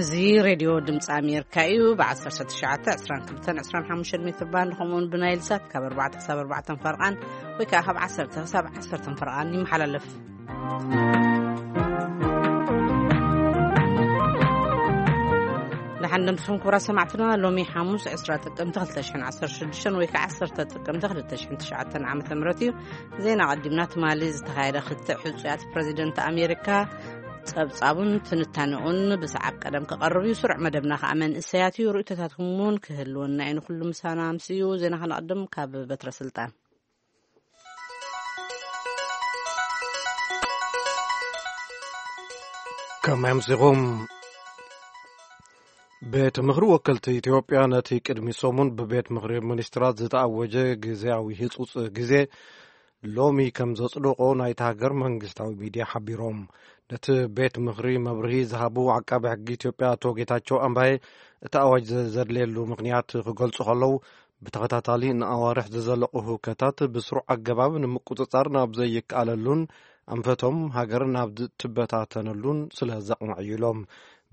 እዚ ሬድዮ ድምፂ ኣሜሪካ እዩ። ብ1922-25 ሜትር ባንድ ከምኡውን ብናይል ሳት ካብ ኣርባዕተ ክሳብ ኣርባዕተ ፈርቓን ወይ ከዓ ካብ ዓሰርተ ክሳብ ዓሰርተ ፈርቓን ይመሓላለፍ። ደሓን ደምስኹም ክቡራት ሰማዕትና። ሎሚ ሓሙስ ዕስራ ጥቅምቲ ክልተ ሽሕን ዓሰርተ ሽዱሽተን ወይ ከዓ ዓሰርተ ጥቅምቲ ክልተ ሽሕን ትሽዓተን ዓመተ ምህረት እዩ። ዜና ቀዲምና ትማሊ ዝተኻየደ ክትዕ ሕጹያት ፕረዚደንት ኣሜሪካ ጸብጻቡን ትንታኔኡን ብሰዓብ ቀደም ክቐርብ እዩ። ስሩዕ መደብና ከኣ መንእሰያት እዩ። ርእይቶታትኩም እውን ክህልወና እዩ። ንኹሉ ምሳና ኣምስዩ። ዜና ከነቐድም ካብ በትረ ስልጣን። ከመይ ኣምሲኹም? ቤት ምኽሪ ወከልቲ ኢትዮጵያ ነቲ ቅድሚ ሰሙን ብቤት ምኽሪ ሚኒስትራት ዝተኣወጀ ግዜያዊ ህጹጽ ግዜ ሎሚ ከም ዘጽደቖ ናይታ ሃገር መንግስታዊ ሚድያ ሓቢሮም። ነቲ ቤት ምኽሪ መብርሂ ዝሃቡ ዓቃቢ ሕጊ ኢትዮጵያ ኣቶ ጌታቸው ኣምባዬ፣ እቲ ኣዋጅ ዘ-፣ ዘድልየሉ ምኽንያት ክገልጹ ከለዉ፣ ብተኸታታሊ ንኣዋርሕ ዝዘለቑ ህውከታት ብስሩዕ ኣገባብ ንምቁጽጻር ናብ ዘይከኣለሉን ኣንፈቶም ሃገር ናብ ዝትበታተነሉን ስለ ዘቕንዕ እዩ ኢሎም።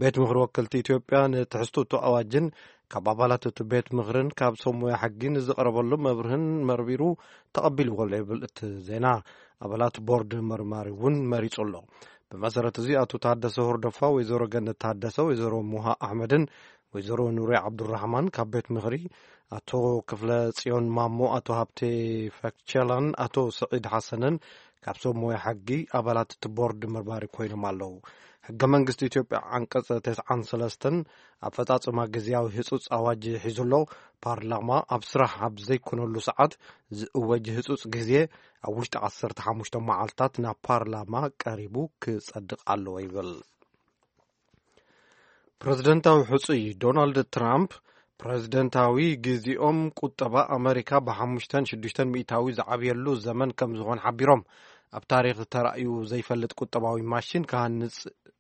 ቤት ምኽሪ ወከልቲ ኢትዮጵያ ንትሕዝቶ እቲ ኣዋጅን ካብ ኣባላት እቲ ቤት ምኽርን ካብ ሰብ ሞያ ሕጊን ዝቐረበሎም መብርህን መርሚሩ ተቐቢልዎ ኣሎ ይብል እቲ ዜና። ኣባላት ቦርድ መርማሪ እውን መሪጹ ኣሎ። ብመሰረት እዚ ኣቶ ታደሰ ሆርዶፋ፣ ወይዘሮ ገነት ታደሰ፣ ወይዘሮ ሙሃ ኣሕመድን ወይዘሮ ኑሪ ዓብዱራሕማን ካብ ቤት ምኽሪ፣ ኣቶ ክፍለ ጽዮን ማሞ፣ ኣቶ ሃብቴ ፈክቸላን ኣቶ ስዒድ ሓሰንን ካብ ሰብ ሞያ ሕጊ ኣባላት እቲ ቦርድ መርማሪ ኮይኖም ኣለዉ። ሕገ መንግስቲ ኢትዮጵያ ዓንቀጽ ተስዓን ሰለስተን ኣፈጻጽማ ግዜያዊ ህጹጽ ኣዋጅ ሒዙ ኣሎ። ፓርላማ ኣብ ስራሕ ኣብ ዘይኮነሉ ሰዓት ዝእወጅ ህጹጽ ግዜ ኣብ ውሽጢ ዓሰርተ ሓሙሽተ መዓልታት ናብ ፓርላማ ቀሪቡ ክጸድቕ ኣለዎ ይብል። ፕረዚደንታዊ ሕጹይ ዶናልድ ትራምፕ፣ ፕረዚደንታዊ ግዜኦም ቁጠባ ኣመሪካ ብ5ን6ን ሚእታዊ ዝዓብየሉ ዘመን ከም ዝኾን ሓቢሮም። ኣብ ታሪኽ ተራእዩ ዘይፈልጥ ቁጠባዊ ማሽን ክሃንጽ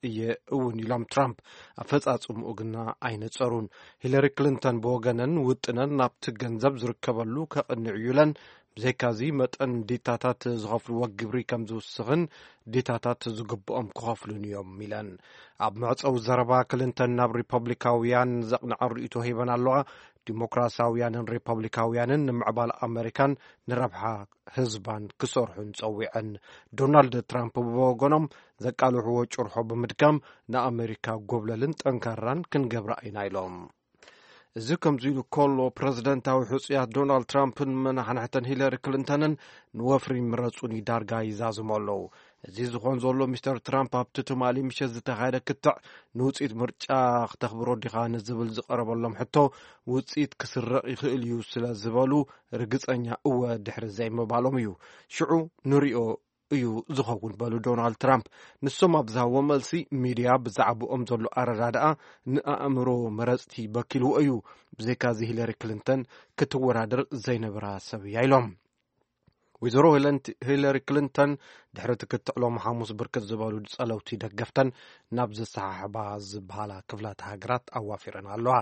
እየ እውን ኢሎም ትራምፕ። ኣፈጻጽምኡ ግና ኣይነጸሩን። ሂለሪ ክሊንተን ብወገነን ውጥነን ናብቲ ገንዘብ ዝርከበሉ ከቕንዕ እዩ ኢለን። ብዘይካዚ መጠን ዲታታት ዝኸፍልዎ ግብሪ ከም ዝውስኽን ዲታታት ዝግብኦም ክኸፍሉን እዮም ኢለን። ኣብ መዕጸዊ ዘረባ ክሊንተን ናብ ሪፐብሊካውያን ዘቕንዐ ርእይቶ ሂበን ኣለዋ። ዲሞክራሲያውያንን ሪፐብሊካውያንን ንምዕባል ኣመሪካን ንረብሓ ህዝባን ክሰርሑን ጸዊዐን። ዶናልድ ትራምፕ ብወገኖም ዘቃልሕዎ ጭርሖ ብምድጋም ንኣመሪካ ጎብለልን ጠንካራን ክንገብራ ኢና ኢሎም። እዚ ከምዚ ኢሉ ከሎ፣ ፕረዚደንታዊ ሕጹያት ዶናልድ ትራምፕን መናሕንሕተን ሂለሪ ክሊንተንን ንወፍሪ ምረጹኒ ዳርጋ ይዛዝሙ ኣለዉ። እዚ ዝኾን ዘሎ፣ ሚስተር ትራምፕ ኣብቲ ትማሊ ምሸት ዝተኻየደ ክትዕ ንውጽኢት ምርጫ ክተኽብሮ ዲኻ ንዝብል ዝቐረበሎም ሕቶ፣ ውጽኢት ክስረቕ ይኽእል እዩ ስለ ዝበሉ፣ ርግጸኛ እወ ድሕሪ ዘይምባሎም እዩ። ሽዑ ንሪኦ እዩ ዝኸውን በሉ ዶናልድ ትራምፕ። ንሶም ኣብ ዝሃብዎ መልሲ፣ ሚድያ ብዛዕባኦም ዘሎ ኣረዳድኣ ንኣእምሮ መረጽቲ በኪልዎ እዩ። ብዘይካዚ ሂለሪ ክሊንተን ክትወዳደር ዘይነበራ ሰብ እያ ኢሎም። ወይዘሮ ሂለን-፣ ሂለሪ ክሊንተን ድሕሪ እቲ ክትዕ ሎም ሓሙስ ብርክት ዝበሉ ጸለውቲ ደገፍተን ናብ ዘሰሓሕባ ዝበሃላ ክፍላት ሃገራት ኣዋፊረን ኣለዋ።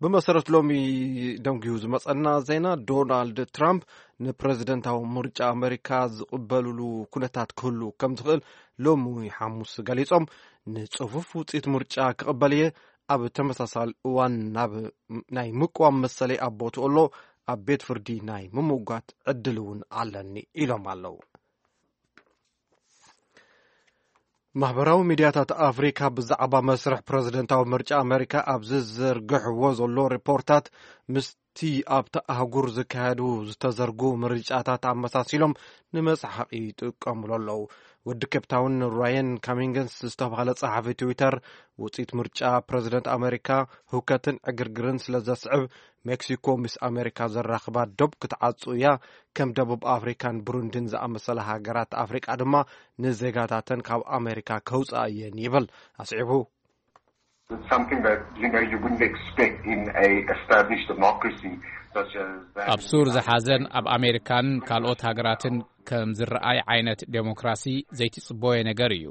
ብመሰረት ሎሚ ደንጉዩ ዝመጸና ዜና፣ ዶናልድ ትራምፕ ንፕረዚደንታዊ ምርጫ ኣመሪካ ዝቕበልሉ ኩነታት ክህሉ ከም ዝኽእል ሎሚ ሓሙስ ገሊጾም፣ ንጽፉፍ ውጽኢት ምርጫ ክቕበል እየ፣ ኣብ ተመሳሳሊ እዋን ናብ ናይ ምቅዋም መሰለይ ኣብ ቦትኡ ኣሎ፣ ኣብ ቤት ፍርዲ ናይ ምምጓት ዕድል እውን ኣለኒ ኢሎም ኣለዉ። ማሕበራዊ ሚድያታት ኣፍሪካ ብዛዕባ መስርሕ ፕረዚደንታዊ ምርጫ ኣመሪካ ኣብ ዝዝርግሕዎ ዘሎ ሪፖርታት፣ ምስቲ ኣብታ ኣህጉር ዝካየዱ ዝተዘርጉ ምርጫታት ኣመሳሲሎም ንመጽሓቂ ይጥቀሙሉ ኣለዉ። ወዲ ኬፕታውን ራየን ካሚንግስ ዝተባህለ ጸሓፊ ትዊተር፣ ውጽኢት ምርጫ ፕረዚደንት ኣመሪካ ህውከትን ዕግርግርን ስለ ዘስዕብ፣ ሜክሲኮ ምስ ኣመሪካ ዘራኽባ ዶብ ክትዓጹ እያ፣ ከም ደቡብ ኣፍሪካን ብሩንዲን ዝኣመሰላ ሃገራት ኣፍሪቃ ድማ ንዜጋታተን ካብ ኣመሪካ ከውጽኣ እየን ይብል። ኣስዒቡ፣ It's something that, you know, you wouldn't expect in a established democracy such as that. ኣብ ሱር ዝሓዘን ኣብ ኣሜሪካን ካልኦት ሃገራትን ከም ዝረኣይ ዓይነት ዴሞክራሲ ዘይትጽበዮ ነገር እዩ።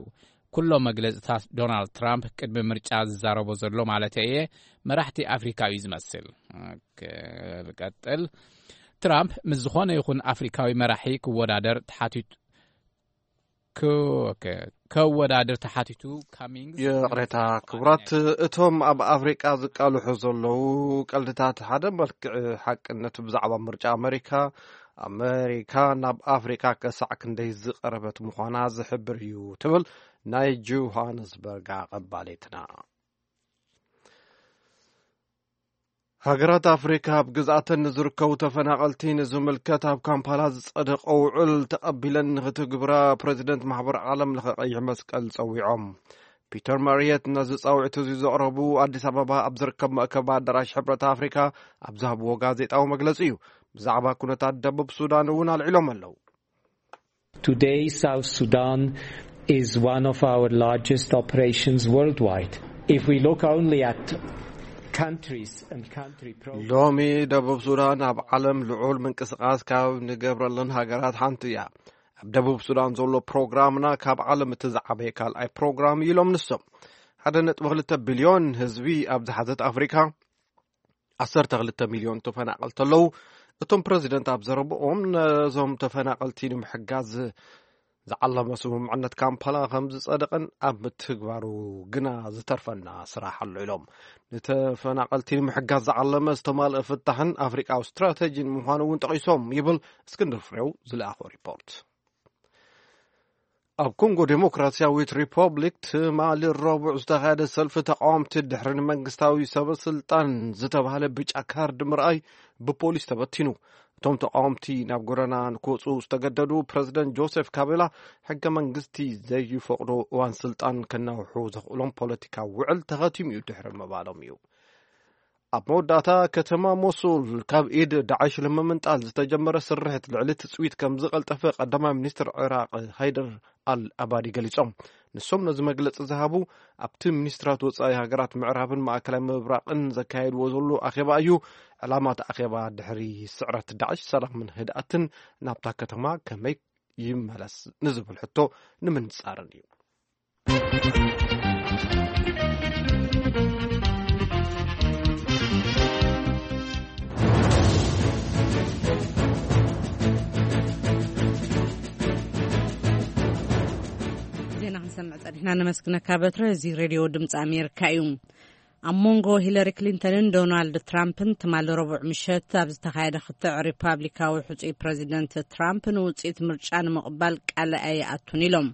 ኩሎም መግለጽታት ዶናልድ ትራምፕ ቅድሚ ምርጫ ዝዛረቦ ዘሎ ማለት እየ፣ መራሕቲ ኣፍሪካ እዩ ዝመስል። ክቀጥል፣ ትራምፕ ምስ ዝኾነ ይኹን ኣፍሪካዊ መራሒ ክወዳደር ተሓቲቱ፣ ክ-፣ ኦኬ፣ ከወዳድር ተሓቲቱ፣ ካሚንግስ ይቕሬታ፣ ክቡራት፣ እቶም ኣብ ኣፍሪቃ ዝቃልሑ ዘለዉ ቀልድታት ሓደ መልክዕ ሓቅነት ብዛዕባ ምርጫ ኣመሪካ፣ ኣመሪካ ናብ ኣፍሪካ ከሳዕ ክንደይ ዝቐረበት ምዃና ዝሕብር እዩ ትብል ናይ ጆሃንስበርግ ኣቐባሊትና። ሃገራት ኣፍሪካ ኣብ ግዝኣተን ንዝርከቡ ተፈናቐልቲ ንዝምልከት ኣብ ካምፓላ ዝጸደቐ ውዕል ተቐቢለን ንክትግብራ ፕረዚደንት ማሕበር ዓለም ለኸ ቀይሕ መስቀል ጸዊዖም። ፒተር ማሪየት ነዚ ጻውዒት እዚ ዘቕረቡ ኣዲስ ኣበባ ኣብ ዝርከብ መእከቢ ኣዳራሽ ሕብረት ኣፍሪካ ኣብ ዝሃብዎ ጋዜጣዊ መግለጺ እዩ። ብዛዕባ ኩነታት ደቡብ ሱዳን እውን ኣልዒሎም ኣለዉ። Today, South Sudan is one of our largest operations worldwide. If we look only at countries and country programs, ሎሚ ደቡብ ሱዳን ኣብ ዓለም ልዑል ምንቅስቓስ ካብ ንገብረለን ሃገራት ሓንቲ እያ። ኣብ ደቡብ ሱዳን ዘሎ ፕሮግራምና ካብ ዓለም እቲ ዝዓበየ ካልኣይ ፕሮግራም እዩ ኢሎም ንሶም። ሓደ ነጥቢ ክልተ ቢልዮን ህዝቢ ኣብ ዝሓዘት ኣፍሪካ ዓሰርተ ክልተ ሚልዮን ተፈናቐልቲ ኣለዉ። እቶም ፕረዚደንት ኣብ ዘረብኦም ነዞም ተፈናቐልቲ ንምሕጋዝ ዝዓለመ ስምምዕነት ካምፓላ ከም ዝጸደቐን ኣብ ምትግባሩ ግና ዝተርፈና ስራሕ ኣሎ ኢሎም። ንተፈናቐልቲ ንምሕጋዝ ዝዓለመ ዝተማልአ ፍታሕን ኣፍሪቃዊ ስትራተጂን ምዃኑ እውን ጠቒሶም ይብል እስክንድር ፍሬው ዝለኣኾ ሪፖርት። ኣብ ኮንጎ ዴሞክራሲያዊት ሪፐብሊክ ትማሊ ረቡዕ ዝተኻየደ ሰልፊ ተቃወምቲ ድሕሪ ንመንግስታዊ ሰበ ስልጣን ዝተባህለ ብጫ ካርድ ምርኣይ ብፖሊስ ተበቲኑ። እቶም ተቃወምቲ ናብ ጎደና ንክወፁ ዝተገደዱ ፕረዚደንት ጆሴፍ ካቤላ ሕገ መንግስቲ ዘይፈቅዶ እዋን ስልጣን ከናውሑ ዘኽእሎም ፖለቲካዊ ውዕል ተኸቲሙ እዩ ድሕሪ ምባሎም እዩ። ኣብ መወዳእታ ከተማ ሞሱል ካብ ኢድ ዳዕሽ ንምምንጣል ዝተጀመረ ስርሕት ልዕሊ ትጽቢት ከም ዝቐልጠፈ ቀዳማይ ሚኒስትር ዕራቕ ሃይደር ኣል ኣባዲ ገሊጾም። ንሶም ነዚ መግለጺ ዝሃቡ ኣብቲ ሚኒስትራት ወጻኢ ሃገራት ምዕራብን ማእከላይ ምብራቕን ዘካየድዎ ዘሎ ኣኼባ እዩ። ዕላማ እቲ ኣኼባ ድሕሪ ስዕረት ዳዕሽ ሰላምን ህድኣትን ናብታ ከተማ ከመይ ይመለስ ንዝብል ሕቶ ንምንጻርን እዩ። ዜና ክንሰምዕ ጸኒሕና፣ ነመስግነካ በትረ። እዚ ሬድዮ ድምፂ ኣሜሪካ እዩ። ኣብ መንጎ ሂለሪ ክሊንተንን ዶናልድ ትራምፕን ትማሊ ረቡዕ ምሸት ኣብ ዝተኻየደ ክትዕ፣ ሪፓብሊካዊ ሕጹይ ፕረዚደንት ትራምፕ ንውጽኢት ምርጫ ንምቕባል ቃል ኣይኣቱን ኢሎም።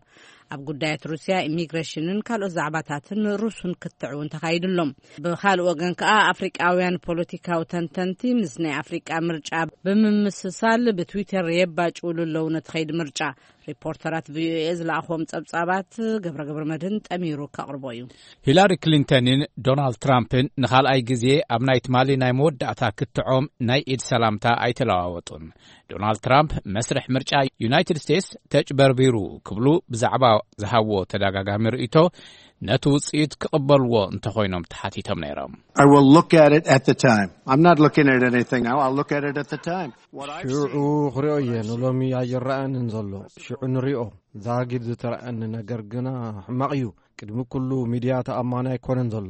ኣብ ጉዳያት ሩስያ፣ ኢሚግሬሽንን ካልኦት ዛዕባታትን ሩሱን ክትዕ እውን ተኻይዱሎም። ብኻልእ ወገን ከኣ ኣፍሪቃውያን ፖለቲካዊ ተንተንቲ ምስ ናይ ኣፍሪቃ ምርጫ ብምምስሳል ብትዊተር የባጭውሉ ኣለዉ ነቲ ኸይዲ ምርጫ። ሪፖርተራት ቪኦኤ ዝለኣኽዎም ጸብጻባት ገብረ ገብረ መድህን ጠሚሩ ከቕርቦ እዩ። ሂላሪ ክሊንተንን ዶናልድ ትራምፕን ንኻልኣይ ግዜ ኣብ ናይ ትማሊ ናይ መወዳእታ ክትዖም ናይ ኢድ ሰላምታ ኣይተለዋወጡን። ዶናልድ ትራምፕ መስርሕ ምርጫ ዩናይትድ ስቴትስ ተጭበርቢሩ ክብሉ ብዛዕባ ዝሃብዎ ተደጋጋሚ ርእይቶ ነቲ ውጽኢት ክቕበልዎ እንተኾይኖም ተሓቲቶም ነይሮም። I will look at it at the time. I'm not looking at anything now. I'll look at it at the time. What I've ሽዑ seen ክሪኦ እየ። ንሎሚ ኣይረኣንን ዘሎ። ሽዑ ንሪኦ። ዛጊድ ዝተረኣኒ ነገር ግና ሕማቕ እዩ። ቅድሚ ኩሉ ሚድያ ተኣማኒ ኣይኮነን ዘሎ።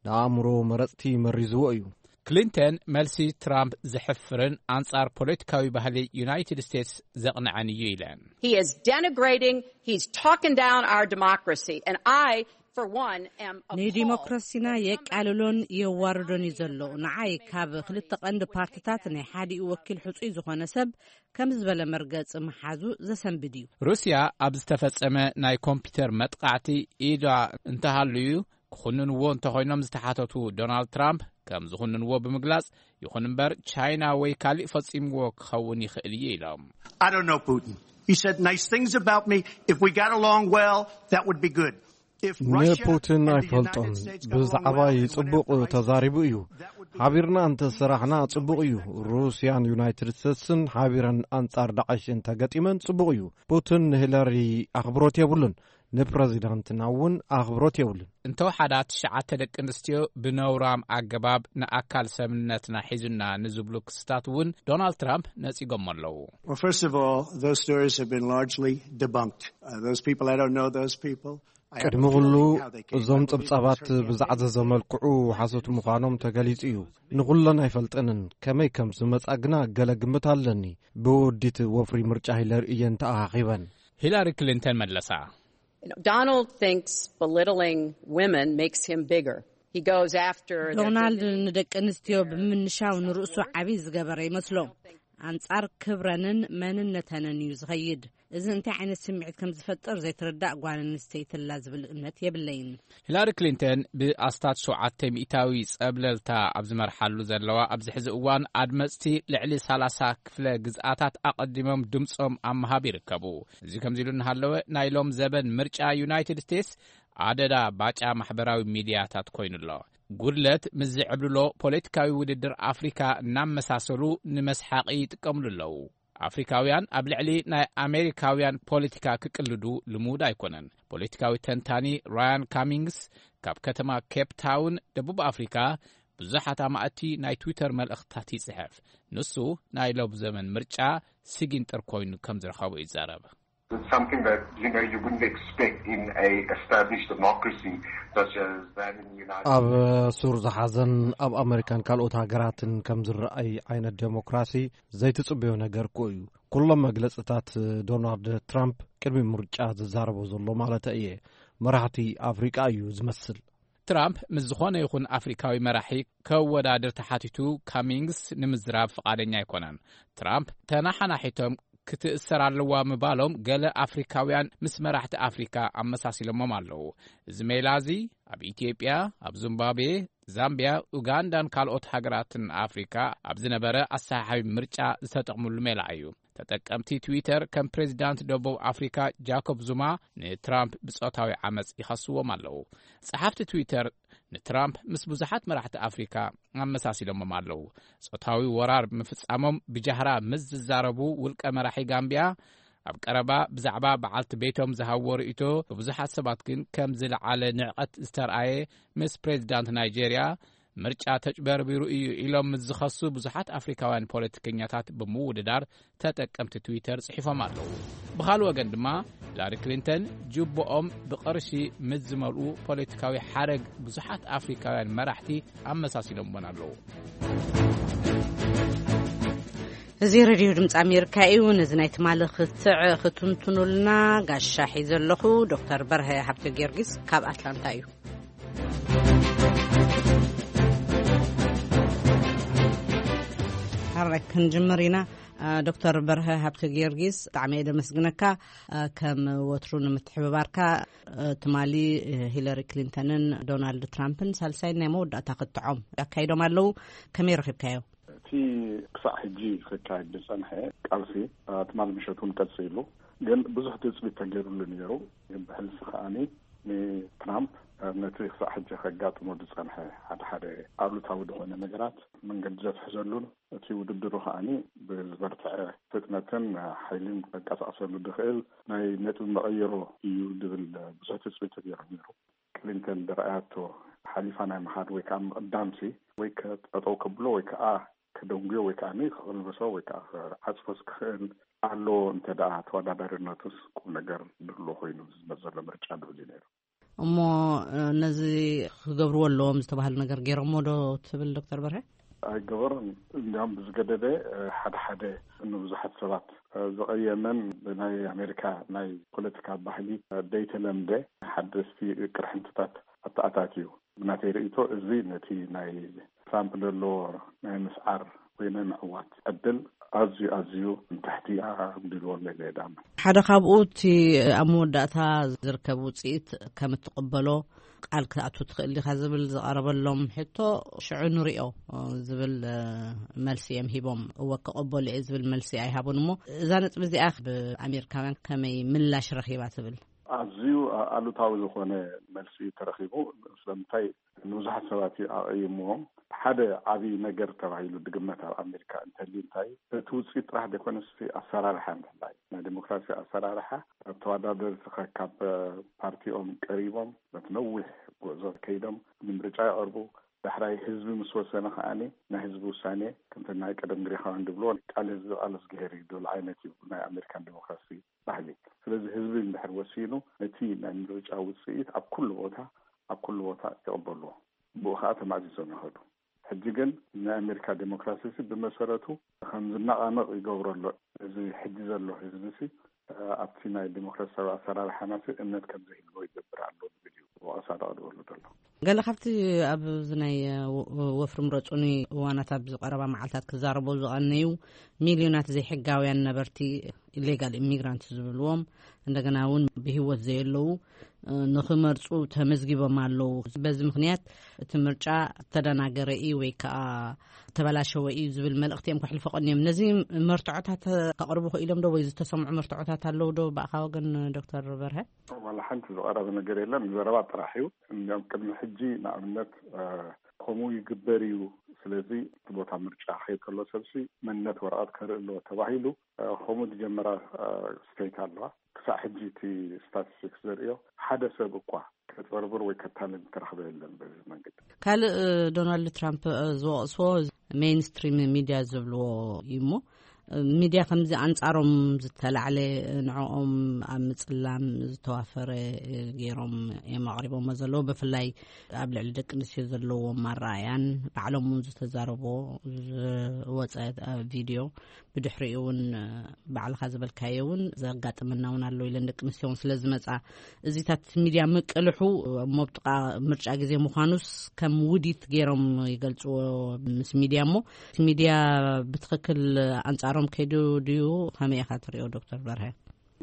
ንኣእምሮ መረጽቲ መሪዝዎ እዩ። ክሊንተን መልሲ ትራምፕ ዘሕፍርን ኣንጻር ፖለቲካዊ ባህሊ ዩናይትድ ስቴትስ ዘቕንዐን እዩ ኢለን። He is denigrating, he's talking down our democracy, and I, for one, am appalled ንዲሞክራሲና that some የቃልሎን የዋርዶን እዩ ዘሎ። ንዓይ ካብ ክልተ ቀንዲ ፓርትታት ናይ ሓዲኡ ወኪል ሕጹይ ዝኾነ ሰብ ከምዚ ዝበለ መርገጺ ምሓዙ ዘሰንብድ እዩ። ሩስያ ኣብ ዝተፈጸመ ናይ ኮምፒውተር መጥቃዕቲ ኢዳ እንተሃልዩ ክኹንንዎ እንተኾይኖም ዝተሓተቱ ዶናልድ ትራምፕ፣ ከም ዝኹንንዎ ብምግላጽ፣ ይኹን እምበር ቻይና ወይ ካሊእ ፈጺምዎ ክኸውን ይኽእል እዩ ኢሎም። I don't know Putin. He said nice things about me. If we got along well, that would be good. If Russia ንፑቲን and the ኣይፈልጦን። United States got along ብዛዕባይ well and ጽቡቕ whatever I ተዛሪቡ እዩ። ሓቢርና እንተ ሰራሕና ጽቡቕ እዩ። ሩስያን ዩናይትድ ስቴትስን ሓቢረን ኣንጻር ዳዕሽ እንተገጢመን ጽቡቕ እዩ። ፑቲን ንሂለሪ ኣኽብሮት የብሉን። ንፕረዚዳንትና እውን ኣኽብሮት የብሉን። እንተወሓዳ ትሽዓተ ደቂ ኣንስትዮ ብነውራም ኣገባብ ንኣካል ሰብነትና ሒዙና ንዝብሉ ክስታት እውን ዶናልድ ትራምፕ ነጺጎሞ ኣለዉ። Well, first of all, those stories have been largely debunked. Uh, those people, I don't know those people. ቅድሚ ኩሉ፣ እዞም ጸብጻባት ብዝዓዘዘ መልክዑ ሓሶት ምዃኖም ተገሊጹ እዩ። ንኹለን ኣይፈልጠንን። ከመይ ከም ዝመጻ ግና ገለ ግምት ኣለኒ። ብወዲት ወፍሪ ምርጫ ሂለሪ እየን ተኣኻኺበን። ሂላሪ ክሊንተን መለሳ። Donald thinks belittling women makes him bigger. He goes after their ዶናልድ dignity. ንደቂ ኣንስትዮ ብምንሻው ንርእሱ ዓቢ ዝገበረ ይመስሎ። ኣንጻር ክብረንን መንነተንን እዩ ዝኸይድ። እዚ እንታይ ዓይነት ስምዒት ከም ዝፈጥር ዘይትርዳእ ጓል ኣንስተይቲ ኣላ ዝብል እምነት የብለይን። ሂላሪ ክሊንተን ብኣስታት ሸውዓተ ሚእታዊ ጸብለልታ ኣብ ዝመርሓሉ ዘለዋ ኣብዚ ሕዚ እዋን፣ ኣድመጽቲ ልዕሊ ሰላሳ ክፍለ ግዝኣታት ኣቐዲሞም ድምጾም ኣብ ምሃብ ይርከቡ። እዚ ከምዚ ኢሉ እናሃለወ፣ ናይ ሎም ዘበን ምርጫ ዩናይትድ ስቴትስ ኣደዳ ባጫ ማሕበራዊ ሚድያታት ኮይኑ ኣሎ። ጉድለት ምስ ዝዕብልሎ ፖለቲካዊ ውድድር ኣፍሪካ እናመሳሰሉ ንመስሓቂ ይጥቀምሉ ኣለዉ። ኣፍሪካውያን ኣብ ልዕሊ ናይ ኣሜሪካውያን ፖለቲካ ክቅልዱ ልሙድ ኣይኮነን። ፖለቲካዊ ተንታኒ ራያን ካሚንግስ ካብ ከተማ ኬፕ ታውን፣ ደቡብ ኣፍሪካ፣ ብዙሓት ኣማእቲ ናይ ትዊተር መልእኽትታት ይጽሕፍ። ንሱ ናይ ሎብ ዘመን ምርጫ ሲጊንጥር ኮይኑ ከም ዝረኸቦ ይዛረብ። It's something that, you know, you wouldn't expect in a established democracy such as that in the United ኣብ ሱር ዝሓዘን ኣብ ኣመሪካን ካልኦት ሃገራትን ከም ዝረኣይ ዓይነት ዴሞክራሲ ዘይትጽበዮ ነገር እኮ እዩ። ኩሎም መግለጽታት ዶናልድ ትራምፕ ቅድሚ ምርጫ ዝዛረቦ ዘሎ ማለት እየ፣ መራሕቲ ኣፍሪቃ እዩ ዝመስል። ትራምፕ ምስ ዝኾነ ይኹን ኣፍሪካዊ መራሒ ከወዳድር ተሓቲቱ፣ ካሚንግስ ንምዝራብ ፍቓደኛ ኣይኮነን። ትራምፕ ተናሓናሒቶም ክትእሰር ኣለዋ ምባሎም ገለ ኣፍሪካውያን ምስ መራሕቲ ኣፍሪካ ኣመሳሲሎሞም ኣለዉ። እዚ ሜላ እዚ ኣብ ኢትዮጵያ፣ ኣብ ዚምባብዌ፣ ዛምቢያ፣ ኡጋንዳን ካልኦት ሃገራትን ኣፍሪካ ኣብ ዝነበረ ኣሰሓሓቢ ምርጫ ዝተጠቕምሉ ሜላ እዩ። ተጠቀምቲ ትዊተር ከም ፕሬዚዳንት ደቡብ ኣፍሪካ ጃኮብ ዙማ ንትራምፕ ብጾታዊ ዓመፅ ይኸስዎም ኣለዉ። ጸሓፍቲ ትዊተር ንትራምፕ ምስ ብዙሓት መራሕቲ ኣፍሪካ ኣመሳሲሎሞም ኣለዉ። ጾታዊ ወራር ምፍጻሞም ብጃህራ ምስ ዝዛረቡ ውልቀ መራሒ ጋምቢያ፣ ኣብ ቀረባ ብዛዕባ በዓልቲ ቤቶም ዝሃብዎ ርእይቶ ብብዙሓት ሰባት ግን ከም ዝለዓለ ንዕቀት ዝተርኣየ፣ ምስ ፕሬዚዳንት ናይጄርያ ምርጫ ተጭበርቢሩ እዩ ኢሎም ምስ ዝኸሱ ብዙሓት ኣፍሪካውያን ፖለቲከኛታት ብምውድዳር ተጠቀምቲ ትዊተር ጽሒፎም ኣለዉ። ብኻልእ ወገን ድማ ሂላሪ ክሊንተን ጅቦኦም ብቕርሺ ምስ ዝመልኡ ፖለቲካዊ ሓረግ ብዙሓት ኣፍሪካውያን መራሕቲ ኣመሳሲሎምወን ኣለዉ። እዚ ሬድዮ ድምፂ ኣሜሪካ እዩ። ነዚ ናይ ትማሊ ክትዕ ክትንትኑልና ጋሻ ሒዘ ኣለኹ። ዶክተር በርሀ ሃብተ ጊዮርጊስ ካብ ኣትላንታ እዩ። ሓራይ ክንጅምር ኢና። ዶክተር በርሀ ሃብተ ጊዮርጊስ፣ ብጣዕሚ እየ ደመስግነካ ከም ወትሩ ንምትሕብባርካ። ትማሊ ሂለሪ ክሊንተንን ዶናልድ ትራምፕን ሳልሳይን ናይ መወዳእታ ክትዖም ኣካይዶም ኣለዉ። ከመይ ረኺብካዮ? እቲ ክሳዕ ሕጂ ክካየድ ዝጸንሐ ቃልሲ ትማሊ ምሸት እውን ቀጺሉ፣ ግን ብዙሕ ትጽቢት ተገይሩሉ ነይሩ። ግን ብሕልፊ ከኣኒ ንትራምፕ ነቲ ክሳዕ ሕጂ ከጋጥሞ ዝጸንሐ ሓደ ሓደ ኣሉታዊ ዝኾነ ነገራት መንገዲ ዘትሕዘሉን እቲ ውድድሩ ከኣኒ ብዝበርትዐ ፍጥነትን ሓይልን ከንቀሳቕሰሉ ዝኽእል ናይ ነጥቢ መቐየሮ እዩ ዝብል ብዙሕ ትጽቢት ተገይሩ ነይሩ። ክሊንተን ዝረኣያቶ ሓሊፋ ናይ ምኻድ ወይ ከዓ ምቕዳምሲ ወይ ከጠጠው ከብሎ ወይ ከዓ ከደንጉዮ ወይ ከዓ ከቕልብሶ ወይ ከዓ ክዓፅፎ ዝክኽእል ኣሎ። እንተ ደኣ ተወዳዳሪነቱስ ቁም ነገር ድህሎ ኮይኑ ዝመት ዘሎ ምርጫ ድብል እዩ ነይሩ። እሞ ነዚ ክገብርዎ ኣለዎም ዝተባህሉ ነገር ገይሮሞ ዶ ትብል ዶክተር በርሀ? ኣይገበሮን። እንዲያውም ብዝገደደ ሓደ ሓደ ንብዙሓት ሰባት ዘቐየመን ብናይ ኣሜሪካ ናይ ፖለቲካ ባህሊ ዘይተለምደ ሓደስቲ ቅርሕንትታት ኣተኣታትዩ። ብናተይ ርእይቶ እዚ ነቲ ናይ ትራምፕ ዘለዎ ናይ ምስዓር ወይ ናይ ምዕዋት ዕድል ኣዝዩ ኣዝዩ ንታሕቲ ኣንቢልዎ ኣሎ ኢለ እየ ዝኣምን። ሓደ ካብኡ እቲ ኣብ መወዳእታ ዝርከብ ውፅኢት ከም እትቕበሎ ቃል ክትኣቱ ትኽእል ዲኻ ዝብል ዝቐረበሎም ሕቶ ሽዑ ንሪኦ ዝብል መልሲ እዮም ሂቦም። እወ ክቕበሎ እየ ዝብል መልሲ ኣይሃቡን። እሞ እዛ ነጥቢ እዚኣ ብኣሜሪካውያን ከመይ ምላሽ ረኺባ ትብል? ኣዝዩ ኣሉታዊ ዝኾነ መልሲ ተረኺቡ። ስለምንታይ ንብዙሓት ሰባት እዩ ኣቐይምዎም። ሓደ ዓብዪ ነገር ተባሂሉ ድግመት ኣብ ኣሜሪካ እንተልዩ እንታይ እቲ ውፅኢት ጥራሕ ዘይኮነስ እቲ ኣሰራርሓ ምሕላይ ናይ ዲሞክራሲ ኣሰራርሓ ኣብ ተወዳደርቲ ካብ ፓርቲኦም ቀሪቦም በቲ ነዊሕ ጉዕዞ ከይዶም ንምርጫ ይቐርቡ። ዳሕራይ ህዝቢ ምስ ወሰነ ከዓኒ ናይ ህዝቢ ውሳኔ ከምቲ ናይ ቀደም ግሪኻውያን ድብልዎ ቃል ህዝቢ ቃል እዝግሄር እዩ ድብል ዓይነት እዩ ናይ ኣሜሪካን ዲሞክራሲ ባህሊ። ስለዚ ህዝቢ እንድሕር ወሲኑ፣ ነቲ ናይ ምርጫ ውፅኢት ኣብ ኩሉ ቦታ፣ ኣብ ኩሉ ቦታ ይቕበልዎ። ብኡ ከዓ ተማእዚዞም ይኸዱ። ሕጂ ግን ናይ ኣሜሪካ ዴሞክራሲ ሲ ብመሰረቱ ከም ዝነቓነቕ ይገብሮ ኣሎ። እዚ ሕጂ ዘሎ ህዝቢ ሲ ኣብቲ ናይ ዴሞክራሲያዊ ኣሰራርሓና ሲ እምነት ከም ዘይህልዎ ይገብር ኣሎ ዝብል እዩ ወቐሳ ደቕርበሉ ዘሎ። ገለ ካብቲ ኣብዚ ናይ ወፍሪ ምረጹኒ እዋናት ኣብ ዝቐረባ መዓልታት ክዛረቦ ዝቐነዩ ሚልዮናት ዘይሕጋውያን ነበርቲ፣ ኢሌጋል ኢሚግራንት ዝብልዎም፣ እንደገና እውን ብህይወት ዘየለዉ ንኽመርጹ ተመዝጊቦም ኣለዉ። በዚ ምኽንያት እቲ ምርጫ ዝተደናገረ እዩ ወይ ከዓ ተበላሸወ እዩ ዝብል መልእኽቲ እዮም ከሕልፉ ቀንዮም። ነዚ መርትዖታት ከቕርቡ ክኢሎም ዶ ወይ ዝተሰምዑ መርትዖታት ኣለዉ ዶ ብኣኻ ወገን ዶክተር በርሀ? ዋላ ሓንቲ ዝቐረበ ነገር የለን። ዘረባ ጥራሕ እዩ። እንዲያውም ቅድሚ ሕጂ ንኣብነት ከምኡ ይግበር እዩ፣ ስለዚ እቲ ቦታ ምርጫ ከይድ ከሎ ሰብሲ መንነት ወረቐት ከርኢ ኣለዎ ተባሂሉ ከምኡ ዝጀመራ ስቴት ኣለዋ። ክሳዕ ሕጂ እቲ ስታቲስቲክስ ዘርእዮ ሓደ ሰብ እኳ ከጭበርብር ወይ ከታልል ዝተረኽበ የለን። በዚ መንገዲ ካልእ ዶናልድ ትራምፕ ዝወቕስዎ ሜይንስትሪም ሚድያ ዝብልዎ እዩ እሞ፣ ሚድያ ከምዚ ኣንጻሮም ዝተላዕለ ንዕኦም ኣብ ምጽላም ዝተዋፈረ ገይሮም እዮም ኣቕሪቦሞ ዘለዉ። ብፍላይ ኣብ ልዕሊ ደቂ ኣንስትዮ ዘለዎም ኣረኣያን ባዕሎም እውን ዝተዛረቦ ዝወጸ ቪድዮ፣ ብድሕሪኡ እውን ባዕልኻ ዝበልካዮ እውን ዘጋጥመና እውን ኣሎ ኢለን ደቂ ኣንስትዮ እውን ስለ ዝመጻ፣ እዚታት ሚድያ ምቅልሑ እሞ ኣብ ጥቓ ምርጫ ግዜ ምዃኑስ ከም ውዲት ገይሮም ይገልጽዎ ምስ ሚድያ እሞ፣ እቲ ሚድያ ብትኽክል ኣንጻሮም ከይዱ ድዩ? ከመይ ኢኻ ትሪኦ ዶክተር በርሀ?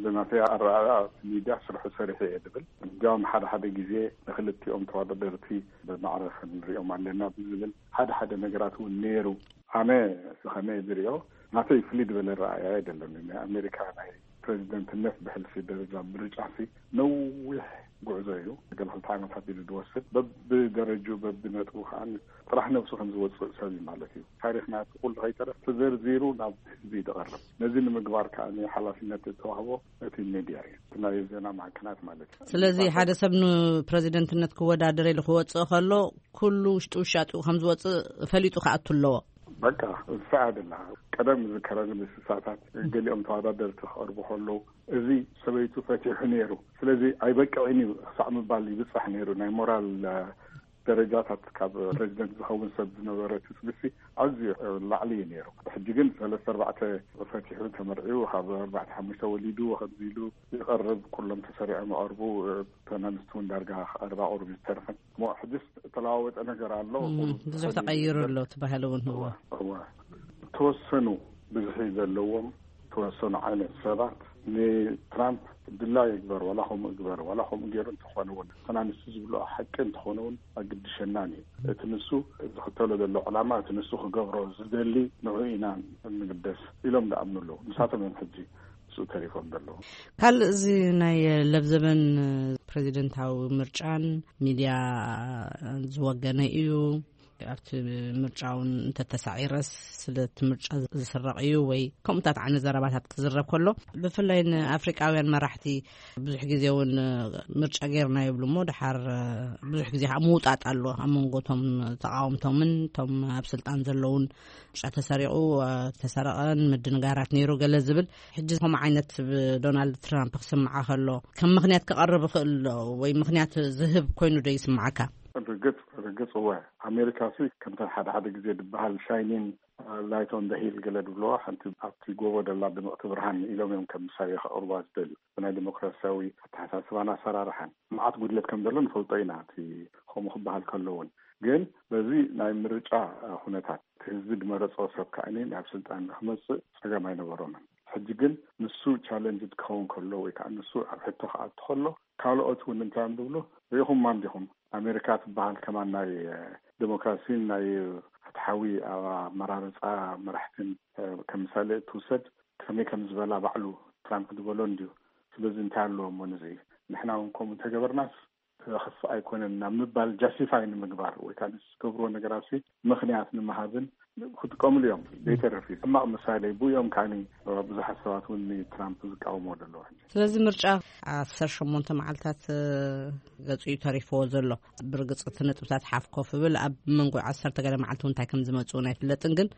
ብናተይ ኣረኣእያ እቲ ሚድያ ስርሑ ሰሪሑ እየ ዝብል። እንዲያውም ሓደ ሓደ ግዜ ንክልቲኦም ተወዳደርቲ ብማዕረ ክንሪኦም ኣለና ብዝብል ሓደ ሓደ ነገራት እውን ነይሩ። ኣነ ከመይ ዝሪኦ፣ ናተይ ፍልይ ዝበለ ረኣያ ኣይደለኒ። ናይ ኣሜሪካ ናይ ፕሬዚደንትነት ብሕልፊ ደረጃ ምርጫ ሲ ነዊሕ ጉዕዞ እዩ። ገለ ክልተ ዓመታት እዩ ዝወስድ። በብደረጅኡ በብነጥቡ ከዓ ጥራሕ ነብሱ ከም ዝወፅእ ሰብ እዩ ማለት እዩ። ታሪኽና እቲ ኩሉ ከይተረፍ ተዘርዚሩ ናብ ህዝቢ እዩ ዝቐርብ። ነዚ ንምግባር ከዓ ሓላፊነት ዝተዋህቦ እቲ ሚድያ እዩ፣ እቲ ናይ ዜና ማዕከናት ማለት እዩ። ስለዚ ሓደ ሰብ ንፕሬዚደንትነት ክወዳደር ኢሉ ክወፅእ ከሎ ኩሉ ውሽጡ ውሻጡ ከም ዝወፅእ ፈሊጡ ክኣቱ ኣለዎ። በቃ እሳ ደላ ቀደም ዝከረኒ ምስሳታት ገሊኦም ተወዳደርቲ ክቐርቡ ከለዉ፣ እዚ ሰበይቱ ፈቲሑ ነይሩ፣ ስለዚ ኣይበቅዕን እዩ ክሳዕ ምባል ይብጻሕ ነይሩ። ናይ ሞራል ደረጃታት ካብ ፕሬዚደንት ዝኸውን ሰብ ዝነበረ ትጽቢትሲ ኣዝዩ ላዕሊ እዩ ነይሩ። ሕጂ ግን ሰለስተ ኣርባዕተ ፈቲሑ ተመርዒዩ፣ ካብ ኣርባዕተ ሓሙሽተ ወሊዱ፣ ከምዚ ኢሉ ይቐርብ፣ ኩሎም ተሰሪዖም ይቐርቡ። ተናንስቲ እውን ዳርጋ ኣርባ ቁሩብ ዝተርፈን እሞ ሕጅስ እተለዋወጠ ነገር ኣሎ። ብዙሕ ተቐይሩ ኣሎ ትባህል እውን። እዋ እዋ፣ ተወሰኑ ብዝሒ ዘለዎም ተወሰኑ ዓይነት ሰባት ንትራምፕ ድላ ይግበር፣ ዋላ ከምኡ ግበር፣ ዋላ ከምኡ ገይሩ እንተኾነ እውን፣ ተናንስቲ ዝብሎ ሓቂ እንተኾነ እውን ኣግድሸናን እዩ። እቲ ንሱ ዝኽተሎ ዘሎ ዕላማ፣ እቲ ንሱ ክገብሮ ዝደሊ ንዑ ኢና እንግደስ ኢሎም ዝኣምኑ ኣለዉ። ንሳቶም እዮም ሕጂ ምስኡ ተሪፎም ዘለዉ። ካልእ እዚ ናይ ለብዘበን ፕሬዚደንታዊ ምርጫን ሚድያ ዝወገነ እዩ፣ ኣብቲ ምርጫ እውን እንተተሳዒረስ ስለቲ ምርጫ ዝስረቕ እዩ ወይ ከምኡታት ዓይነት ዘረባታት ክዝረብ ከሎ፣ ብፍላይ ንኣፍሪቃውያን መራሕቲ ብዙሕ ግዜ እውን ምርጫ ገይርና ይብሉ እሞ፣ ድሓር ብዙሕ ግዜ ከዓ ምውጣጥ ኣሎ ኣብ መንጎ እቶም ተቃወምቶምን እቶም ኣብ ስልጣን ዘለውን። ምርጫ ተሰሪቑ፣ ተሰረቐን ምድንጋራት ነይሩ ገለ ዝብል፣ ሕጂ ከምኡ ዓይነት ብዶናልድ ትራምፕ ክስምዓ ከሎ ከም ምኽንያት ክቐርብ ይኽእል ዶ? ወይ ምኽንያት ዝህብ ኮይኑ ዶ ይስምዓካ? ርግጽ ርግጽ እወ። ኣሜሪካ ሲ ከምተን ሓደ ሓደ ግዜ ዝበሃል ሻይኒን ላይት ኦን ደ ሂል ገለ ድብለዋ፣ ሓንቲ ኣብቲ ጎቦ ደላ ድምቕቲ ብርሃን ኢሎም እዮም ከም ምሳሌ ከቕርቧ ዝደልዩ። ብናይ ዲሞክራሲያዊ ኣተሓሳስባን ኣሰራርሓን መዓት ጉድለት ከም ዘሎ ንፈልጦ ኢና። እቲ ከምኡ ክበሃል ከሎ እውን ግን በዚ ናይ ምርጫ ኩነታት እቲ ህዝቢ ድመረጾ ሰብ ከኣኒ ናብ ስልጣን ንክመጽእ ጸገም ኣይነበሮምን። ሕጂ ግን ንሱ ቻለንጅ ክኸውን ከሎ ወይ ከዓ ንሱ ኣብ ሕቶ ክኣቱ ከሎ ካልኦት እውን እንታይ እዮም ዝብሉ? ርኢኹማ እንዲኹም፣ ኣሜሪካ ትበሃል ከማን ናይ ዲሞክራሲን ናይ ፍትሓዊ ኣመራርፃ መራሕትን ከም ምሳሌ እትውሰድ፣ ከመይ ከም ዝበላ ባዕሉ ትራምፕ ዝበሎ እንድዩ። ስለዚ እንታይ ኣለዎ እሞ ንዚ ንሕና እውን ከምኡ እንተገበርናስ ክኸፍእ ኣይኮነን ናብ ምባል ጃስቲፋይ ንምግባር ወይ ከዓ ንዝገብርዎ ነገራት ምኽንያት ንምሃብን ክጥቀምሉ እዮም። ዘይተርፍ እዩ ሕማቕ ምሳሌ ብኡ እዮም ከዓኒ ብዙሓት ሰባት እውን ንትራምፕ ዝቃወምዎ ዘለዉ። ሕጂ ስለዚ ምርጫ ዓሰርተ ሸሞንተ መዓልታት ገጹ እዩ ተሪፍዎ ዘሎ። ብርግጽ እቲ ነጥብታት ሓፍ ኮፍ ብል ኣብ መንጎ ዓሰርተ ገለ መዓልቲ እውን እንታይ ከም ዝመጽኡ ኣይፍለጥን፣ ግን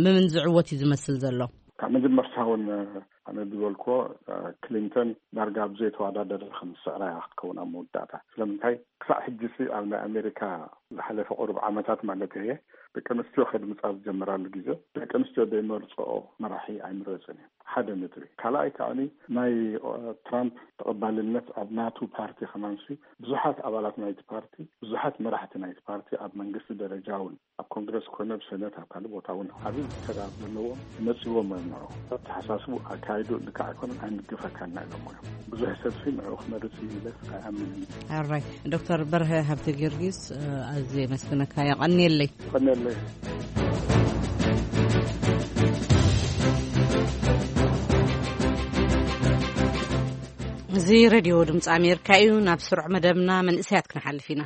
መን ዝዕወት እዩ ዝመስል ዘሎ? ካብ መጀመርታ እውን ኣነ ዝበልኩዎ፣ ክሊንተን ዳርጋ ኣብ ዘይተወዳደረ ከም ዝስዕራ እያ ክትከውን ኣብ መወዳእታ። ስለምንታይ ክሳዕ ሕጂ ሲ ኣብ ናይ ኣሜሪካ ዝሓለፈ ቁሩብ ዓመታት ማለት እየ፣ ደቂ ኣንስትዮ ከድምፃ ዝጀመራሉ ግዜ ደቂ ኣንስትዮ ዘይመርፅኦ መራሒ ኣይምረፅን እዩ። ሓደ ነጥቢ። ካልኣይ ከዓኒ ናይ ትራምፕ ተቐባልነት ኣብ ናቱ ፓርቲ ከማንሲ ብዙሓት ኣባላት ናይቲ ፓርቲ፣ ብዙሓት መራሕቲ ናይቲ ፓርቲ ኣብ መንግስቲ ደረጃ እውን ኣብ ኮንግረስ ኮነ ብሰነት ኣብ ካልእ ቦታ እውን ዓብዪ ተራ ዘለዎም መፂዎም እዮም። ንዑ ኣተሓሳስቡ ኣካይዱ ልክዕ ኣይኮነን ኣይንግፈካና ኢሎም እዮም። ብዙሕ ሰብሲ ንዑ ክመርፅ እዩ ኢለ ኣይኣምንን። ኣራይ ዶክተር በርሀ ሃብተ ጊዮርጊስ፣ ኣዝየ የመስግነካ። የቐንየለይ። ቀነለይ። እዚ ሬድዮ ድምፂ ኣሜሪካ እዩ። ናብ ስሩዕ መደብና መንእሰያት ክንሓልፍ ኢና።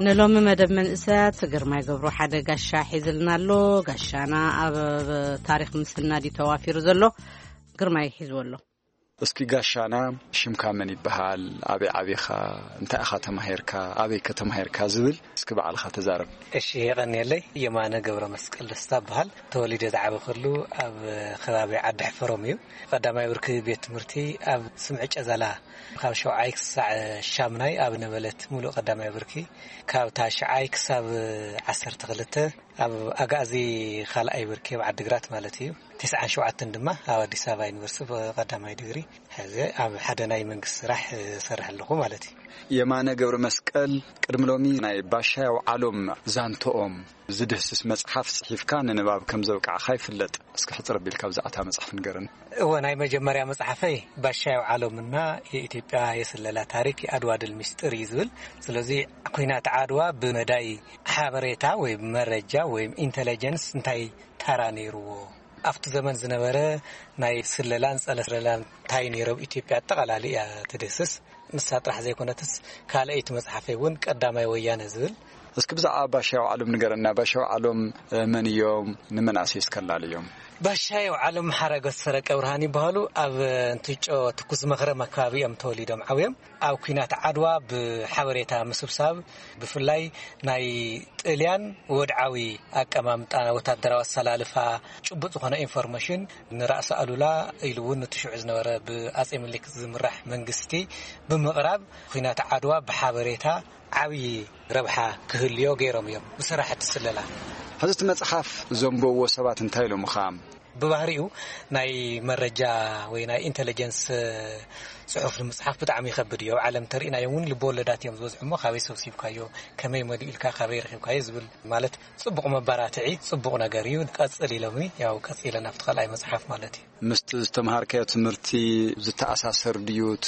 ንሎሚ መደብ መንእሰያት ግርማይ ገብሩ ሓደ ጋሻ ሒዝልና ኣሎ። ጋሻና ኣብ ታሪኽ ምስናድ እዩ ተዋፊሩ ዘሎ። ግርማይ ሒዝዎ ኣሎ። እስኪ ጋሻና፣ ሽምካ መን ይበሃል? ኣበይ ዓቢኻ? እንታይ ኢኻ ተማሂርካ? ኣበይ ከ ተማሂርካ? ዝብል እስኪ ባዕልኻ ተዛረብ። እሺ፣ የቐንየለይ። የማነ ገብረ መስቀል ደስታ እበሃል። ተወሊደ ዝዓበኹሉ ኣብ ከባቢ ዓዲ ሕፈሮም እዩ። ቀዳማይ ብርኪ ቤት ትምህርቲ ኣብ ስምዒ ጨዘላ፣ ካብ ሸውዓይ ክሳዕ ሻምናይ ኣብ ነበለት ሙሉእ ቀዳማይ ብርኪ፣ ካብ ታሽዓይ ክሳብ ዓሰርተ ክልተ ኣብ ኣጋዚ ካልኣይ ብርኪ ኣብ ዓዲግራት ማለት እዩ። ተስዓን ሸውዓተን ድማ ኣብ ኣዲስ ኣበባ ዩኒቨርሲቲ ብቐዳማይ ዲግሪ ሕዚ ኣብ ሓደ ናይ መንግስቲ ስራሕ እሰርሕ ኣለኹ ማለት እዩ። የማነ ገብረ መስቀል፣ ቅድሚ ሎሚ ናይ ባሻይ ኣውዓሎም ዛንትኦም ዝድህስስ መጽሓፍ ጽሒፍካ ንንባብ ከም ዘብቃዕካ ይፍለጥ። እስኪ ሕጽር ኣቢልካ ብዛዕባ እታ መጽሓፍ ንገረኒ። እወ፣ ናይ መጀመርያ መጽሓፈይ ባሻይ ኣውዓሎምና የኢትዮጵያ የስለላ ታሪክ የኣድዋ ድል ሚስጥር እዩ ዝብል። ስለዚ ኩናት ዓድዋ ብመዳይ ሓበሬታ ወይ መረጃ ወይ ኢንተለጀንስ እንታይ ተራ ነይርዎ፣ ኣብቲ ዘመን ዝነበረ ናይ ስለላን ጸረ ስለላን እንታይ ነይሮም ኢትዮጵያ ኣጠቓላሊ እያ ትድህስስ። ንሳ ጥራሕ ዘይኮነትስ ካልኣይቲ መጽሓፈይ እውን ቀዳማይ ወያነ ዝብል። እስኪ ብዛዕባ ባሻይ ኣውዓሎም ንገረና። ባሻይ ኣውዓሎም፣ እ፣ መን እዮም? ንመናእሰይ እስከላልዮም። ባሻይ ኣውዓሎም ሓረገት ሰረቀ ብርሃን ይበሃሉ። ኣብ እንትጮ ትኩስ መኽረም ኣካባቢ እዮም ተወሊዶም ዓብዮም። ኣብ ኲናት ዓድዋ ብሓበሬታ ምስብሳብ፣ ብፍላይ ናይ ጥልያን ወድዓዊ ኣቀማምጣ፣ ወታደራዊ ኣሰላልፋ፣ ጭቡጥ ዝኾነ ኢንፎርሜሽን ንራእሲ ኣሉላ ኢሉ እውን ነቲ ሽዑ ዝነበረ ብኣጼ ምኒልክ ዝምራሕ መንግስቲ ብምቕራብ፣ ኲናት ዓድዋ ብሓበሬታ ዓብዪ ረብሓ ክህልዮ ገይሮም እዮም ብስራሕቲ ስለላ። ሕዚ እቲ መጽሓፍ ዘንበብዎ ሰባት እንታይ ኢሎምኻ? ብባህሪኡ ናይ መረጃ ወይ ናይ ኢንተለጀንስ ጽሑፍ ንምጽሓፍ ብጣዕሚ ይኸብድ እዩ። ኣብ ዓለም ተሪእናዮም እውን ልብወለዳት እዮም ዝበዝሑ እሞ ካበይ ሰብሲብካዮ፣ ከመይ መሊኡልካ፣ ካበይ ረኺብካዮ ዝብል ማለት ጽቡቕ መባራትዒ፣ ጽቡቕ ነገር እዩ። ቀጽል ኢሎምኒ፣ ያው ቀጺለ ናብቲ ካልኣይ መጽሓፍ ማለት እዩ። ምስቲ ዝተምሃርካዮ ትምህርቲ ዝተኣሳሰር ድዩ እቲ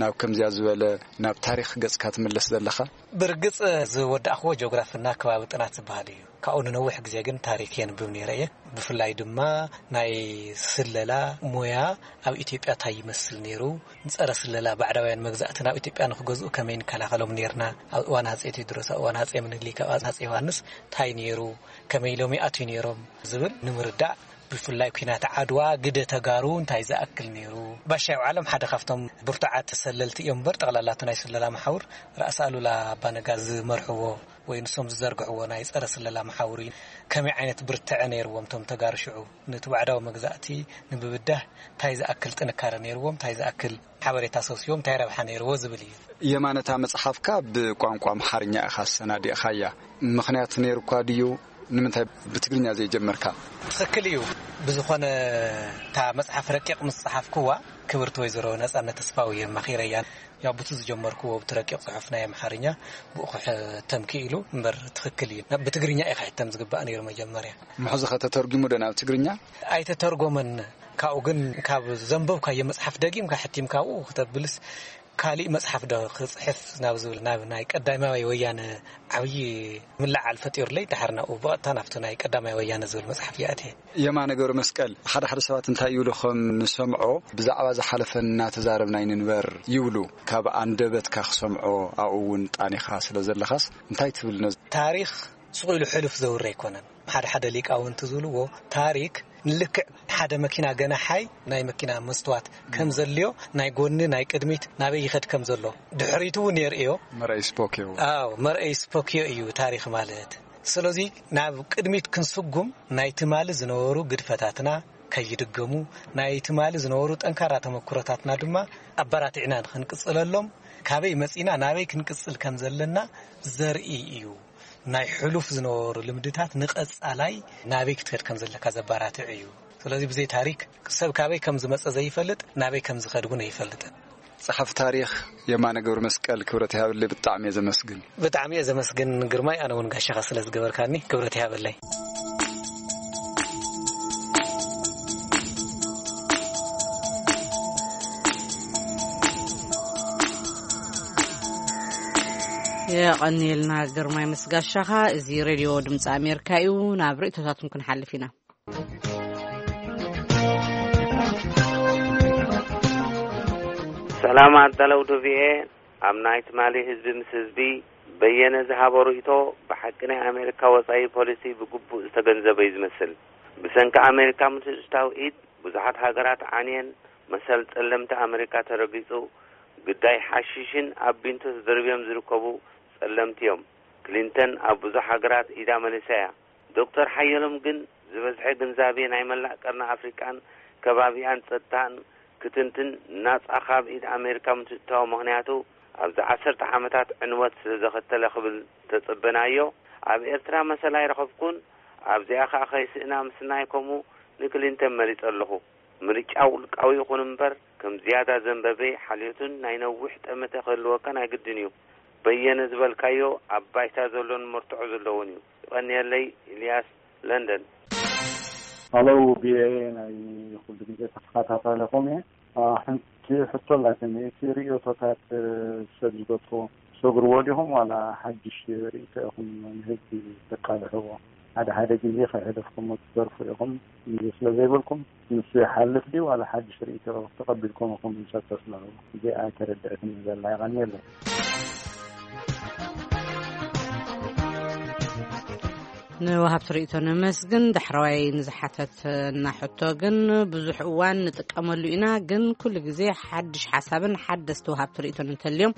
ናብ ከምዚያ ዝበለ ናብ ታሪኽ ገጽካ ትምለስ ዘለኻ? ብርግጽ ዝወዳእክዎ ጂኦግራፍና ከባቢ ጥናት ዝበሃል እዩ። ካብኡ ንነዊሕ ግዜ ግን ታሪክ የንብብ ነይረ እየ። ብፍላይ ድማ ናይ ስለላ ሞያ ኣብ ኢትዮጵያ እንታይ ይመስል ነይሩ፣ ንጸረ ስለላ ባዕዳውያን መግዛእቲ ናብ ኢትዮጵያ ንክገዝኡ ከመይ ንከላኸሎም ነይርና፣ ኣብ እዋን ኣጼ ቴዎድሮስ፣ ኣብ እዋን ኣጼ ምኒልክ፣ ኣብ ኣጼ ዮሃንስ እንታይ ነይሩ፣ ከመይ ኢሎም ይኣትዩ ነይሮም ዝብል ንምርዳእ፣ ብፍላይ ኲናት ዓድዋ ግደ ተጋሩ እንታይ ዝኣክል ነይሩ። ባሻይ ኣውዓሎም ሓደ ካብቶም ብርቱዓት ተሰለልቲ እዮም እምበር፣ ጠቕላላ እቲ ናይ ስለላ መሓውር ራእሲ ኣሉላ ኣባነጋ ዝመርሕዎ ወይ ንሶም ዝዘርግሕዎ ናይ ጸረ ስለላ መሓውር እዩ። ከመይ ዓይነት ብርትዐ ነይርዎም እቶም ተጋሩ ሽዑ፣ ነቲ ባዕዳዊ መግዛእቲ ንምብዳህ እንታይ ዝኣክል ጥንካረ ነይርዎም፣ እንታይ ዝኣክል ሓበሬታ ሰብሲቦም፣ እንታይ ረብሓ ነይርዎ ዝብል እዩ። የማነ፣ እታ መጽሓፍካ ብቋንቋ ኣምሓርኛ ኢኻ ኣሰናዲእኻያ። ምኽንያት ነይሩካ ድዩ? ንምንታይ ብትግርኛ ዘይጀመርካ? ትኽክል እዩ። ብዝኾነ፣ እታ መጽሓፍ ረቂቕ ምስ ጸሓፍኩዋ፣ ክብርቲ ወይዘሮ ነጻነት ተስፋው እየ ኣማኺረያ። ያው፣ ብቲ ዝጀመርኩዎ፣ ብቲ ረቂቕ ጽሑፍ ናይ ኣምሓርኛ፣ ብኡ ክሕተም ክኢሉ እምበር፣ ትኽክል እዩ። ናብ፣ ብትግርኛ እዩ ክሕተም ዝግባእ ነይሩ መጀመርያ። ምሕዚ ኸ ተተርጒሙ ዶ ናብ ትግርኛ? ኣይተተርጎመን። ካብኡ ግን፣ ካብ ዘንበብካዮ መጽሓፍ ደጊምካ ሕቲምካ ኣብኡ ክተብልስ፣ ካሊእ መጽሓፍ ዶ ክጽሕፍ ናብ ዝብል፣ ናብ ናይ ቀዳማይ ወያነ ዓብዪ ምልዓል ፈጢሩለይ፣ ድሓር ናብኡ ብቐጥታ ናብቲ ናይ ቀዳማይ ወያነ ዝብል መጽሓፍ ይኣትየ። የማነ ገብረ መስቀል፣ ሓደ ሓደ ሰባት እንታይ ይብሉ ከም ንሰምዖ፣ ብዛዕባ ዝሓለፈ እናተዛረብና ኣይንንበር ይብሉ። ካብ ኣንደበትካ ክሰምዖ፣ ኣብኡ እውን ጣኒኻ ስለ ዘለኻስ፣ እንታይ ትብል ነዚ? ታሪኽ ስቕ ኢሉ ሕሉፍ ዘውሪ ኣይኮነን። ሓደ ሓደ ሊቃውንቲ ዝብልዎ፣ ታሪክ ንልክዕ ሓደ መኪና ገናሓይ ናይ መኪና መስትዋት ከም ዘልዮ፣ ናይ ጎኒ፣ ናይ ቅድሚት ናበይ ይኸድ ከም ዘሎ ድሕሪቱ እውን የርእዮ። መርኣይ ስፖኪዮ። ኣዎ፣ መርኣይ ስፖኪዮ እዩ ታሪኽ ማለት። ስለዚ ናብ ቅድሚት ክንስጉም ናይ ትማሊ ዝነበሩ ግድፈታትና ከይድገሙ፣ ናይ ትማሊ ዝነበሩ ጠንካራ ተመክሮታትና ድማ ኣባራቲዕና ንኽንቅጽለሎም፣ ካበይ መጺና ናበይ ክንቅጽል ከም ዘለና ዘርኢ እዩ። ናይ ሕሉፍ ዝነበሩ ልምድታት ንቐጻላይ ናበይ ክትከድ ከም ዘለካ ዘባራትዕ እዩ። ስለዚ ብዘይ ታሪክ ሰብ ካበይ ከም ዝመጸ ዘይፈልጥ፣ ናበይ ከም ዝኸድ እውን ኣይፈልጥን። ጸሓፊ ታሪኽ የማነ ገብረ መስቀል፣ ክብረት ይሃበለይ፣ ብጣዕሚ እየ ዘመስግን። ብጣዕሚ እየ ዘመስግን ግርማይ፣ ኣነ እውን ጋሻኻ ስለ ዝገበርካኒ ክብረት ይሃበለይ። የቐንየልና ግርማይ ምስ ጋሻኻ። እዚ ሬድዮ ድምፂ ኣሜሪካ እዩ። ናብ ርእይቶታትኩም ክንሓልፍ ኢና። ሰላም ኣዳለውቲ ቪኦኤ። ኣብ ናይ ትማሊ ህዝቢ ምስ ህዝቢ በየነ ዝሃቦ ርእይቶ ብሓቂ ናይ ኣሜሪካ ወጻኢ ፖሊሲ ብግቡእ ዝተገንዘበ እዩ ዝመስል። ብሰንኪ ኣሜሪካ ምትእትታው ኢድ ብዙሓት ሃገራት ዓንየን፣ መሰል ጸለምቲ ኣሜሪካ ተረጊጹ፣ ግዳይ ሓሺሽን ኣብ ቢንቶ ተደርብዮም ዝርከቡ ጸለምቲ እዮም። ክሊንተን ኣብ ብዙሕ ሃገራት ኢዳ መሊሳ እያ። ዶክተር ሓየሎም ግን ዝበዝሐ ግንዛቤ ናይ መላእ ቀርኒ ኣፍሪቃን ከባቢኣን ጸጥታን ክትንትን ናጻ ካብ ኢድ ኣሜሪካ ምትእትታው ምኽንያቱ ኣብዚ ዓሰርተ ዓመታት ዕንወት ስለ ዘኸተለ ክብል ተጸበናዮ። ኣብ ኤርትራ መሰል ኣይረኸብኩን፣ ኣብዚኣ ከኣ ከይስእና ምስናይ ከምኡ ንክሊንተን መሪጸ ኣለኹ። ምርጫ ውልቃዊ ይኹን እምበር፣ ከም ዝያዳ ዘንበበ ሓልዮትን ናይ ነዊሕ ጠመተ ክህልወካ ናይ ግድን እዩ። በየነ ዝበልካዮ ኣብ ባይታ ዘሎን መርትዖ ዘለዎን እዩ። ይቐንየለይ። ኢልያስ፣ ለንደን። ሃሎ፣ ቪኦኤ ናይ ኩሉ ግዜ ተኸታታሊኹም እየ። አ፣ ሓንቲ ሕቶ ኣላትኒ። እቲ ርእይቶታት፣ እ፣ ሰብ ዝገትሮ ሰግርዎ ዲኹም ዋላ ሓድሽ ርእይቶ ኢኹም ንህዝቢ ተቃልሕዎ? ሓደ ሓደ ግዜ ከይሕደፍኩሞ ትተርፉ ኢኹም። ግዜ ስለ ዘይብልኩም፣ ንሱ ይሓልፍ ድዩ ዋላ ሓድሽ ርእይቶ ተቐቢልኩም ኢኹም? ንሰብ ተስምዑ። እዚኣ ኣይተረድአትኒ ዘላ። የቐንየለይ። ንወሃብቲ ርእይቶ ነመስግን። ዳሕረዋይ ንዝሓተትና ሕቶ ግን፣ ብዙሕ እዋን ንጥቀመሉ ኢና፣ ግን ኩሉ ግዜ ሓድሽ ሓሳብን ሓደስቲ ወሃብቲ ርእይቶን እንተልዮም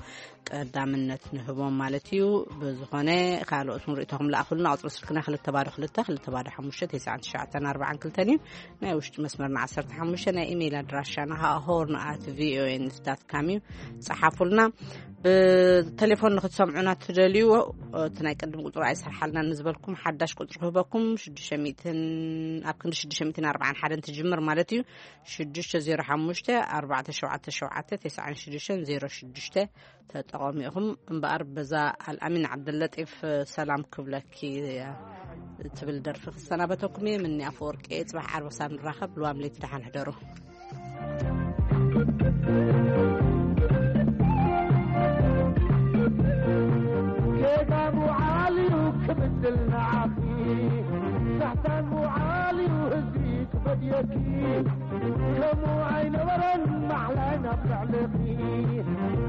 ቀዳምነት ንህቦም ማለት እዩ። ብዝኾነ ካልኦት ርእይቶኹም ለኣኹልና። ቁጽሪ ስልክና ክልተ ባዶ ክልተ፣ ክልተ ባዶ ሓሙሽተ፣ ተስዓን ትሽዓተን ኣርባዓን ክልተን እዩ። ናይ ውሽጢ መስመርና ዓሰርተ ሓሙሽተ፣ ናይ ኢሜይል ኣድራሻና ኸኣ ሆርን ኣት ቪኦኤ ኒውስ ዳት ካም እዩ። ጸሓፉልና። ብቴሌፎን ንኽትሰምዑና ትደልዩ፣ እቲ ናይ ቅድም ቁጽሪ ኣይሰርሓልናን ንዝበልኩም፣ ሓዳሽ ቁጽሪ ክህበኩም። ሽዱሽተ ሚእትን፣ ኣብ ክንዲ ሽዱሽተ ሚእትን ኣርባዓን ሓደን ትጅምር ማለት እዩ። ሽዱሽተ ዜሮ ሓሙሽተ ኣርባዕተ ሸውዓተ ሸውዓተ ተስዓን ሽዱሽተን ዜሮ ሽዱሽተ ተጠቐሙ ኢኹም። እምበኣር በዛ ኣልኣሚን ዓብደለጢፍ ሰላም ክብለኪ እያ ትብል ደርፊ ክሰናበተኩም እየ። ምኒ ኣፈወርቂ እየ። ጽባሕ ዓርቢ ክሳብ ንራኸብ፣ ልዋም ለይቲ ደሓን ሕደሩ። ጌጋ ምውዓል እዩ ክብድል ንዓኺ፣ ሳሕታን ምውዓል እዩ ህዝቢ ክፈድየኪ። ከምኡ ኣይነበረን ማዕላይ ናብ ልዕሌኺ፣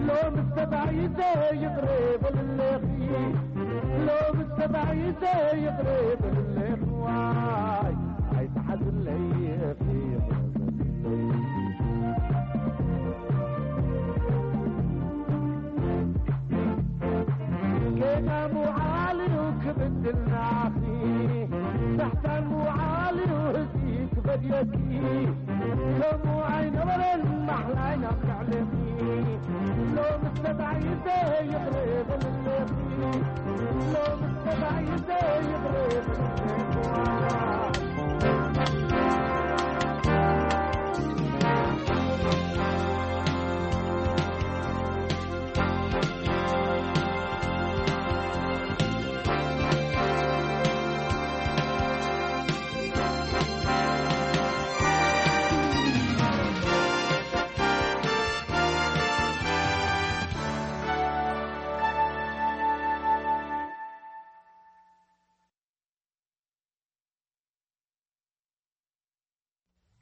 ሎምስ ተባኢሰ ይቕረ በልለኺ። ሎምስ ተባኢሰ ይቕረ በልለኺ። ዋይ ኣይትሓዝለይ ኢኺ። ጌጋ ምውዓል እዩ ክብድል ንዓኺ፣ ሳሕታን ምውዓል እዩ ህዝቢ ክፈድየኪ። ከምኡ ኣይነበረን ማሕላይ ናብ ልዕሌኺ። ሎምስ ተባኢሰ ይቕረ በልለኺ። ሎምስ ተባኢሰ ይቕረ በልለኺ።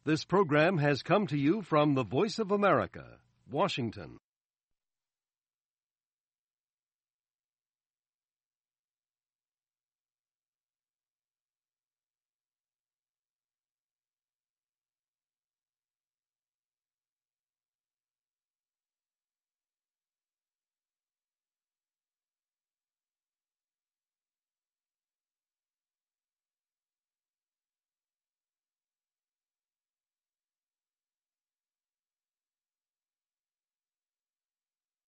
This program has come to you from the Voice of America, Washington.